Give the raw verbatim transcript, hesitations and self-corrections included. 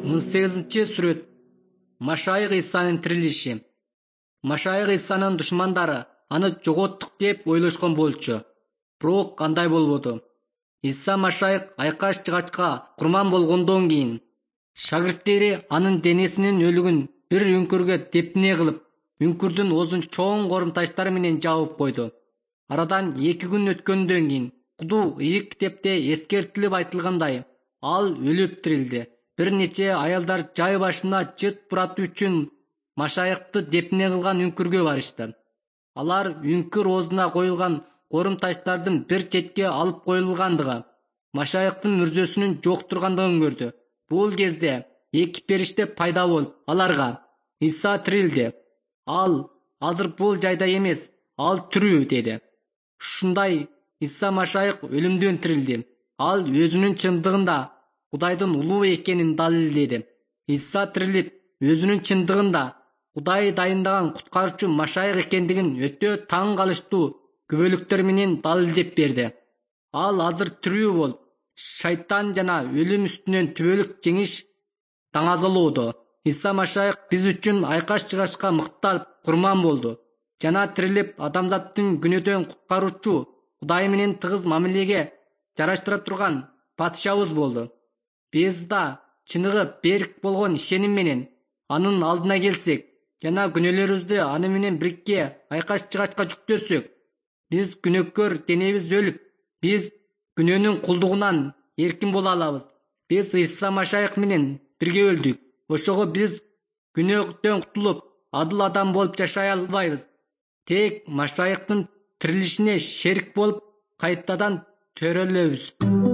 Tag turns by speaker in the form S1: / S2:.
S1: он сегизинчи сүрөт. Машайык Исанын тирилиши. Машайык Исанын душмандары аны жоготтук деп ойлошкон болчу. Бирок андай болбоду. Иса Машайык айкаш-жыгачка курман болгондон кийин шагирттери анын денесинин өлүгүн бир үңкүргө депне кылып, үңкүрдүн оозун чоң корум таштар менен жабып койду. Арадан эки күн өткөндөн кийин Кудуу ийик китепте эскертилип айтылгандай, ал өлүп тирилди. Бир нече аялдар жай башына жыт буратуу үчүн Машайыкты депне кылган үңкүргө барышты. Алар үңкүр оозуна коюлган корум таштардын бир четке алып коюлгандыгы, Машайыктын мүрзөсүнүн жок тургандыгын көрдү. Бул кезде эки периште пайда болуп, аларга: "Иса тирилди. Ал азыр бул жайда эмес, ал тирүү" деди. Ушундай Иса Машайык өлүмдөн тирилди. Ал өзүнүн чындыгында Кудайдын улуу экенин далилдеди. Иса тирилип, өзүнүн чындыгында Кудай дайындаган куткаруучу Машайык экендигин өтө таң калыштуу күбөлүктөр менен далилдеп берди. Ал азыр тирүү болуп, шайтан жана өлүм үстүнөн түбөлүк жеңиш даңазалоодо. Иса Машайык биз үчүн айкаш-жыгачка мыкталып курман болду жана тирилип, адамзаттын күнөөдөн куткаруучу, Кудай менен тыгыз мамилеге жараштыра турган патышабыз болду. Биз да чыныгы берик болгон ишеним менен анын алдына келсек жана күнөөлөрүбүздү аны менен бирикке айкаш-жыгачка жүктөсөк, биз күнөөкөр денебиз өлүп, биз күнөөнүн кулдугунан эркин боло алабыз. Биз Иса Машайык менен бирге өлдүк. Ошого биз күнөөдөн кутулуп, адыл адам болуп жашай албайбыз. Тек Машайыктын тирилишине шерик болуп, кайтадан төрөлөбүз.